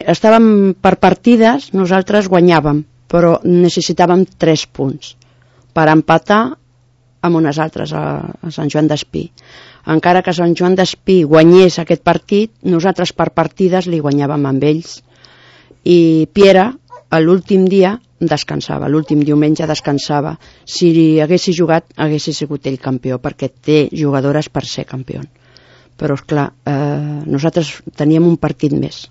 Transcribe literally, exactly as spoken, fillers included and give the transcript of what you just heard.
estàvem per partides, nosaltres guanyàvem, però necessitàvem tres punts per empatar amb unes altres a, a Sant Joan d'Espí. Encara que Sant Joan d'Espí guanyés aquest partit, nosaltres per partides li guanyàvem amb ells. I Piera, l'últim dia, descansava, l'últim diumenge descansava. Si haguessi jugat, haguessi sigut ell campió, perquè té jugadores per ser campió. Però, esclar, eh, nosaltres teníem un partit més.